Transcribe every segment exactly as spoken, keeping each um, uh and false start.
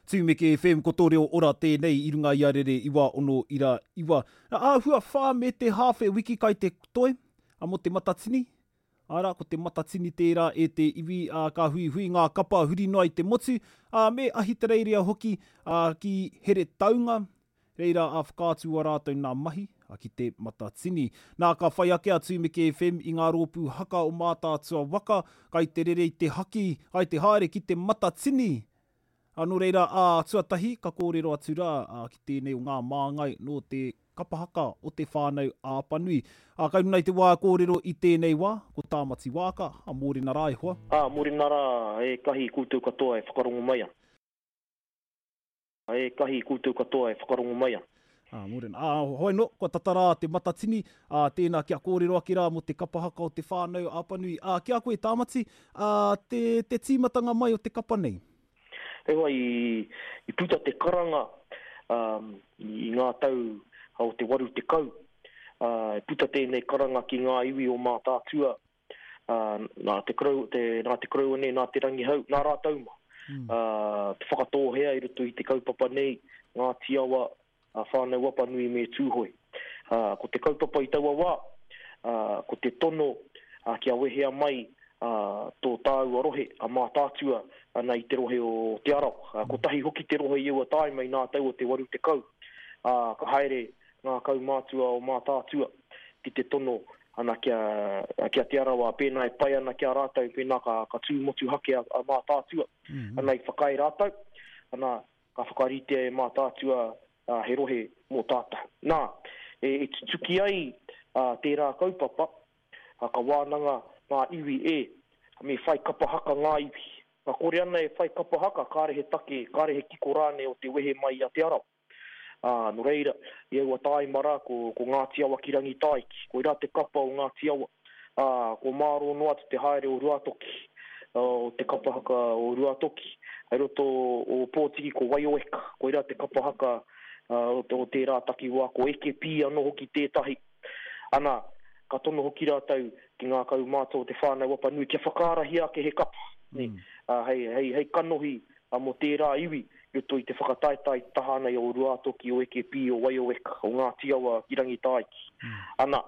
Tumeke F M, ko tō reo ora tēnei i runga i a rere iwa ono ira iwa. Āhua whā me te hāwhe wiki kai te toi, a mō te Matatini. Ara, ko te Matatini tērā e te iwi, a, ka hui hui ngā kapa huri noa i te motu, a, me Ahitereiria hoki, a, ki Heretaunga, reira a whakaatu a rātou nā mahi, a ki te Matatini. Nā ka whai ake a Tumeke F M i ngā rōpū haka o Mātaatua waka, kai te rere i te haki, kai te haere ki te Matatini. A, nō reira, a, tuatahi, ka kōrero atu rā, a, ki tēnei o ngā māngai nō te kapahaka o te whānau Apanui. A, kai runa i te wā kōrero i tēnei wā, ko Tāmati Wāka, a mōrena rā e hoa. A, mōrena rā e kahi koutou katoa e whakarongo mai ana. E kahi koutou katoa e whakarongo mai ana. A, mōrena. A, hoi no, kua tatarā te Matatini, a, tēnā kia kōrero ake rā mō te kapahaka o te whānau Apanui. A, kia koe Tāmati, a, te, te tīmatanga mai o te kapa nei? Ewa, i, i puta te karanga, um, i ngā tau o te waru te kau. Uh, i puta tēnei karanga ki ngā iwi o Mātaatua, uh, nā te korou, te, nā te koroua nei, nā te Rangihau, nā rātou mā. Mm. Uh, te whakatōhea i roto i te kaupapa nei, Ngāti Awa, a Whānau Apanui me Tūhoe. Uh, ko te kaupapa i taua wā, uh, ko te tono, uh, kia wehea mai, uh, tō tāua rohe, a Mātaatua, ana i te rohe o Te Arawa. Uh, kotahi hoki te rohe i aua tāima i ngā tau o te waru te kau. Uh, ka haere ngā kaumātua o Mātaatua ki te tono ana kia, kia Te Arawa, pēnā e pai ana kia rātou, pēnā ka, ka tū motuhake a, a Mātaatua. Mm-hmm. Ana i whakaae rātou, ana ka whakaritea e Mātaatua, uh, he rohe mō tātou. Nā, e, e tutuki ai, uh, tērā kaupapa, uh, ka wānanga ngā iwi e, me whai kapahaka ngā iwi. Ka kore ana e whai kapahaka, kāre he take, kāre he kiko rānei o te wehe mai a Te Arawa. Ā, nō reira, i aua tāima rā, ko, ko Ngāti Awa ki Rangitāiki, koirā te kapa o Ngāti Awa. Ā, ko Mārō noa atu te haere o Ruatoki, o te kapahaka o Ruatoki. Hei roto o Pōtiki ko Waioeka, koirā te kapahaka, ā, o, o tērā takiwā, ko Eke Pī anō hoki tētahi. Ana, ka tono hoki rātou ki ngā kaumātua o te whānau Apanui kia whakaarahia ake he kapa, ne? Mm. Ā, hei, hei, hei kanohi, ā, mō tērā iwi, i roto i te whakataetae taha ana i o Ruatoki, o Eke Pī, o Waioeka, o Ngāti Awa ki Rangitāiki. Mm. Ana,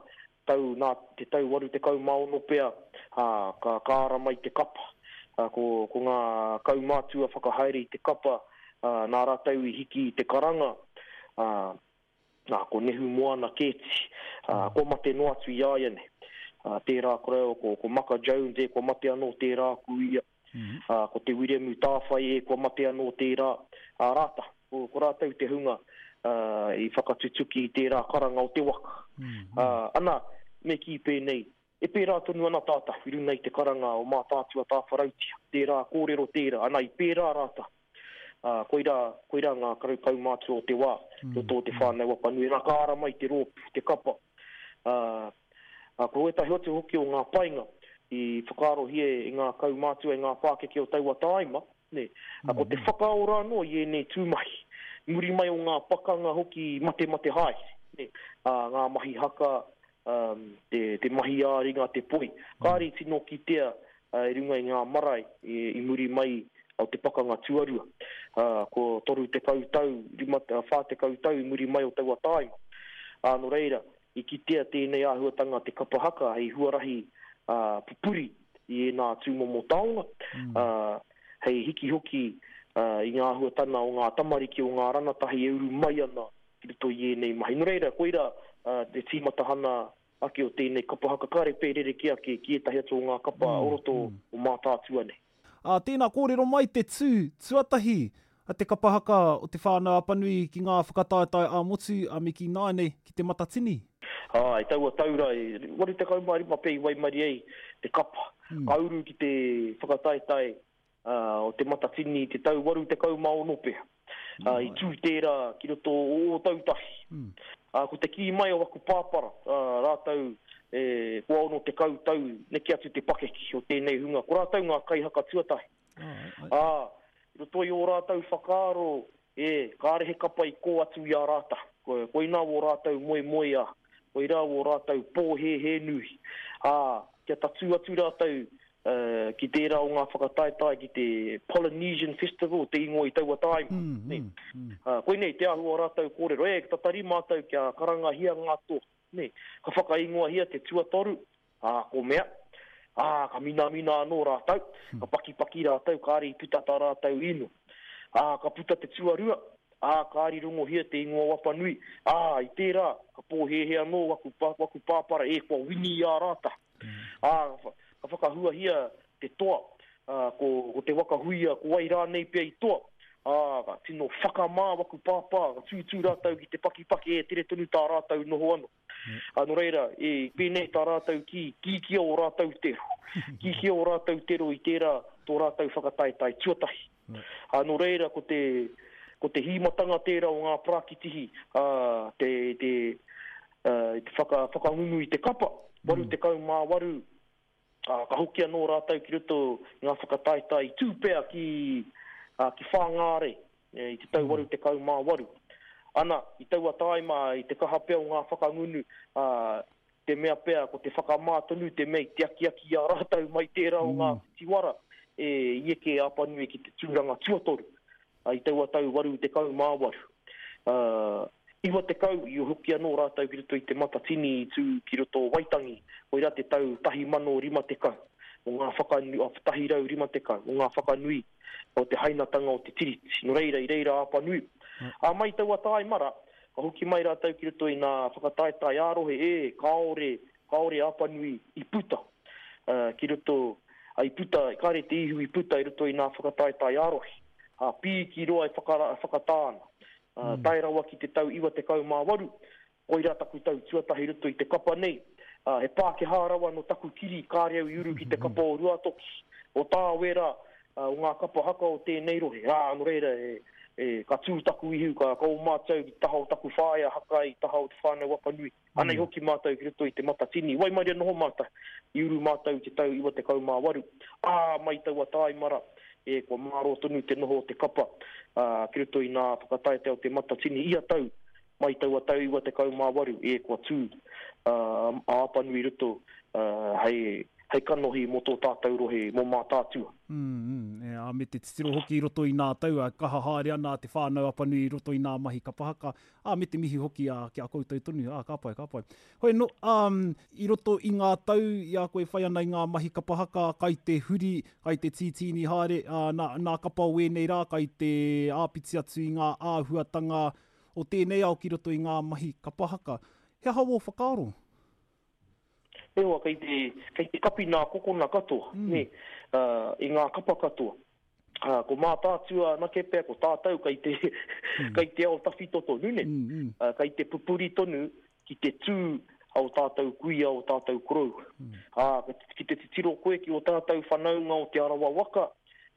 tau, nā, te tau waru te kau mā ono pea, ā, ka, ka ara mai te kapa. Ā, ko, ko ngā kaumātua whakahaere i te kapa, ā, nā rātou i hiki i te karanga, ā, nā, ko Nehu Moana Kēti, ā, kua mate noa atu i a ia nei. Ā, tērā koreo, ko, ko Maka Jones e, kua mate anō tērā ku ia. Mm-hmm. Ā, ko te Wiremu Tāwhai e, kua mate anō tērā. Ā, rāta, ko, ko rātou te hunga, ā, i whakatutuki i tērā karanga o te waka. Mm-hmm. Ā, ana, me kī pēnei, e pērā tonu ana tātou, i runga i te karanga o Mātaatua Tāwharautia, tērā kōrero tērā, ana i pērā rāta. Ā, koirā, koirā ngā karau kaumātua o te wā, Mm. roto o te whānau Apanui. Nā, ka ara mai te rōpū, te kapa. Ā, ā, ko ētahi atu hoki o ngā painga i whakaarohia e ngā kaumātua e ngā pākeke o taua tāima, ne? Ā, ko te Mm. whakaora anō i ēnei tūmahi. Muri mai o ngā pakanga hoki mate mate haere, ne? Ā, ngā mahi haka, um, te, te mahi ā-ringa, te poi. Kāre i tino kitea, ā, i runga i ngā marae i, i muri mai o te pakanga tuarua. Ā, ko toru tekau tau, rima, ā, whā tekau tau i muri mai o taua tāima. Ā, nō reira, i kitea tēnei āhuatanga te kapa haka hei huarahi, ā, pupuri i ēnā tūmomo taonga, Mm. ā, hei hiki hoki, ā, i ngā āhuatanga o ngā tamariki o ngā ranatahi e uru mai ana ki roto i ēnei mahi. Nō reira, koira, ā, te tīmatahana ake o tēnei kapa haka, kāre pērere ki ake ki ētahi atu o ngā kapa Mm, o roto mm. o Mātaatua nei. Ā, tēnā kōrero mai te tū tuatahi a te kapa haka o te whānau Apanui ki ngā whakataetae ā-motu a Miki Nāinei ki te Matatini. Ā, i taua taura, i waru tekau mā rima pē i waimari ai te kapa. Mm. Ka uru ki te whakataetae, ā, o te Matatini te tau waru tekau mā ono pea. Ā, i tū tērā ki roto o Ōtautahi. Mm. Ā, ko te kī mai o aku pāpara, ā, rātou, e, kua ono tekau tau neke atu te pakeke o tēnei hunga. Ko rātou ngā kaihaka tuatahi. Ai, ai. Ā, i roto i ō rātou whakaaro, e, kāre he kapa i kō atu i a rātou. Ko, koinā wō rātou moe moe a, koirā wō rātou pōhēhē nui. Ā, kia tatū atu rātou, uh, ki tērā o ngā whakataetae ki te Polynesian Festival, te ingoa i taua tāima. Mm, Nē. mm, mm. Uh, koinei te āhua o rātou kōrero, e, tatari mātou kia karangahia ngā toa. Nē. Ka whakaingoahia te tuatoru, ā, ko mea, ā, ka minamina anō rātou, ka pakipaki rātou, kāre i puta tā rātou ino. Ā, ka puta te tuarua, ā, kāre i rongohia te ingoa o Apanui, ā, i tērā, ka pōhēhē anō waku, pa, waku pāpara, e, kua wini i a rātou. Ā, ka whakahuahia te toa, ā, ko, ko te waka huia, ko wai rānei pea i toa, ā, ka tino whakamā waku pāpā, ka tūtū rātou ki te pakipaki, e tere tonu tā rātou noho anō. Ā, nō reira, e, pēnei tā rātou ki, kīkia o rātou tero. Kīkia o rātou tero i tērā tō rātou whakataetae tuatahi. Ā, nō reira, ko te, ko te hīmatanga tērā o ngā parakitihi, ā, te, te, ā, te whaka, whakangungu i te kapa, waru tekau mā waru, ā, ka hoki anō rātou ki roto i ngā whakataetae i tūpea ki, ā, ki Whāngārei, e, i te tau waru tekau mā waru. Ana, i taua tāima, i te kaha pea o ngā whakangunu, ā, te mea pea, ko te whakamā tonu te mea i te akiaki i a rātou mai tērā o ngā tiwara, e, i eke Apanui ki te tūranga tuatoru, ā, i taua tau waru tekau mā waru. Ā, iwa tekau i hoki anō rātou ki roto i te Matatini i tū ki roto o Waitangi, koirā te tau tahi mano rima tekau, o ngā whakanui, o tahi rau rima tekau, o ngā whakanui o te hainatanga o te Tiriti. Nō reira, i reira Apanui. Ā, mai taua tāimara, ka hoki mai rātou ki roto i ngā whakataetae ā-rohe, e, kāore, kāore Apanui i puta, uh, ki roto, a, i puta, kāre te ihu i puta i roto i ngā whakataetae ā-rohe. Ā, pīki roa e whakara, whakatā ana. Uh, tae rawa ki te tau iwa tekau mā waru, koirā taku tau tuatahi roto i te kapa nei. Uh, he Pākehā rawa no taku kiri, kāre au i uru ki te kapa o Ruatoki, o Tāwera, uh, o ngā kapa haka o tēnei rohe. Ā, nō reira, e, e, ka tū taku ihu, ka, ka o mātou ki taha o taku whaea haka i taha o te whānau Apanui. Anei hoki mātou ki roto i te Matatini. Waimaria noho mātou, i uru mātou i te tau iwa tekau mā waru. Ā, mai taua tāimara, e, kua mārō tonu te noho o te kapa, ā, ki roto i ngā whakataetae o te Matatini ia tau, mai taua tau iwa tekau mā waru, e, kua tū, ā, a Apanui roto, ā, hei, hei kanohi mō tō tātou rohe, mō Mātaatua. Mm, mm, e, ā, me te titiro hoki i roto i nā tau, ā, kaha haere ana te whānau Apanui i roto i nā mahi kapa haka, ā, me te mihi hoki, ā, ki a koutou tonu, ā, ka pai, ka pai. Hoi no, um, i roto i ngā tau, i a koe whai ana i ngā mahi kapa haka, kai te huri, kai te tītīni haere, ā, nā, nā kapa o ēnei rā, kai te āpiti atu i ngā āhuatanga o tēnei ao ki roto i ngā mahi kapa haka. He aha wō whakaaro? E hoa, kei te, kei te kapi nā kokona katoa, Mm. nē, uh, i ngā kapa katoa. Uh, ko Mātaatua anake pea, ko tātou kei te, kei te ao tawhito tonu, nē. Mm, mm. Uh, kei te pupuri tonu ki te tū o tātou kuia, o tātou korou. Mm. Ā, ki te titiro koe ki o tātou whanaunga o Te Arawa waka,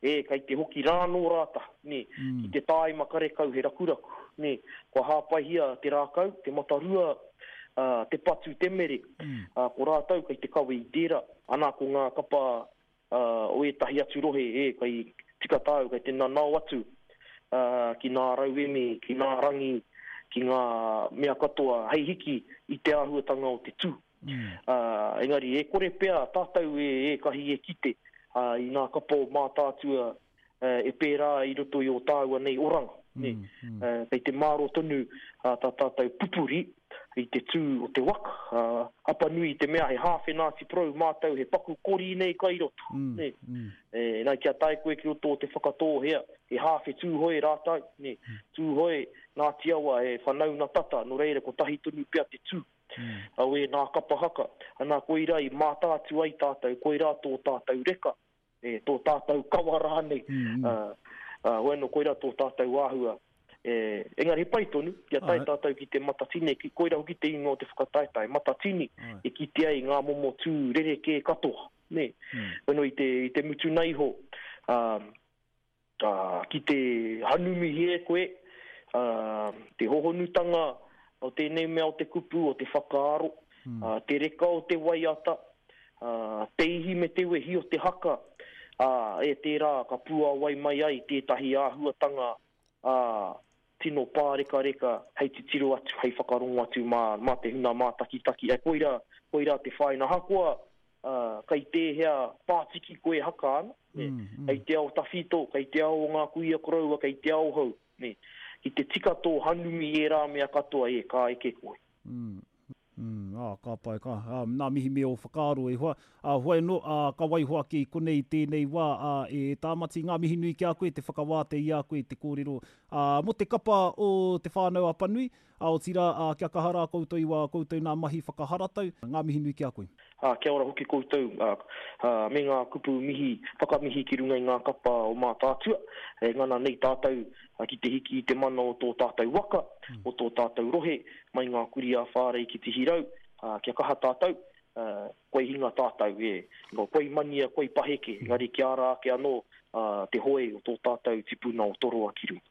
e, kei te hoki rānō rāta, nē, Mm. ki te tāima karekau he rakuraku, nē, kua hāpaihia te rākau, te matarua, uh, te patu, te mere, Mm. uh, ko rātou kei te kawe i tērā, ana ko ngā kapa uh, o ētahi atu rohe, e, kei tika tāu, kei te nanao atu, uh, ki ngā rauemi, ki ngā rangi, ki ngā mea katoa, hei hiki i te āhuatanga o te tū. Mm. Uh, engari, e kore pea tātou e, e kahi e kite, uh, i ngā kapa o Mātaatua, uh, e pērā i roto i o tāua nei oranga. Nē. Mm, mm. Uh, kei te māro tonu uh, tā tātou pupuri i te tū o te waka. Uh, Apanui i te mea he hāwhe Ngāti Porou mātou, he paku kori nei kai roto. Mm, Nē. mm. E, nā, kia tae koe ki roto o te Whakatōhea, he hāwhe Tūhoe rātou, nē. Tūhoe, Ngāti Awa, he whanauna tata, nō reira ko tahi tonu pea te tū. Mm. Au e ngā kapa haka. Ana koirā i mātātu ai tātou, koirā tō tātou reka, e, tō tātou kawa rānei. Mm, mm. Uh, uh, hoeno koirā tō tātou āhua. E, engari he pai tonu, kia tae Ai. tātou ki te Matatini, ki koirā hoki te ingoa o te whakataetae, Matatini, Ai. e kitea ai ngā momo tū rerekē katoa. Nē. Mm. Hoeno i te, i te mutu nei iho, um, uh, ki te hanumihi e koe, uh, te hohonutanga o tēnei mea o te kupu, o te whakaaro, Mm. uh, te reka o te waiata, uh, te ihi me te wehi o te haka, uh, e tērā ka puawai mai ai tētahi āhuatanga, uh, tino pārekareka hei titiro atu, hei whakarongo atu mā, mā te huna mātakitaki. E koirā, koirā te whāinga. Ahakoa, kei tēhea pātiki koe e haka ana, nē, kei te ao tawhito, kei te ao o ngā kuia koroua, kei te ao hou, nē. Ki te tika tō hanumi i ērā mea katoa, e, ka eke koe. Mm, mm, ā, ka pai, ka, ā, nā mihi me ō whakaaro e hoa. Ā, hoi anō, ā, ka waiho ake i konei i tēnei wā, ā, e Tāmati, ngā mihi nui ki a koe, te whakawātea i a koe te kōrero, ā, mō te kapa o Te Whānau a Apanui, ā, otirā, ā, kia kaha rā koutou i wā koutou nā mahi whakaharatau, ngā mihi nui ki a koe. Ā, kia ora hoki koutou, ā, ā, me ngā kupu mihi, whakamihi ki runga i ngā kapa o Mātaatua, e ngana nei tātou ki te hiki i te mana o tō tātou waka, o tō tātou rohe, mai ngā kurī ā-whārei ki Tihirau, ā, kia kaha tātou, ā, koi hinga tātou, e, nō, koi mania, koi paheke, engari kia ara ake anō, ā, te hoe o tō tātou tipuna o Toroa ki runga.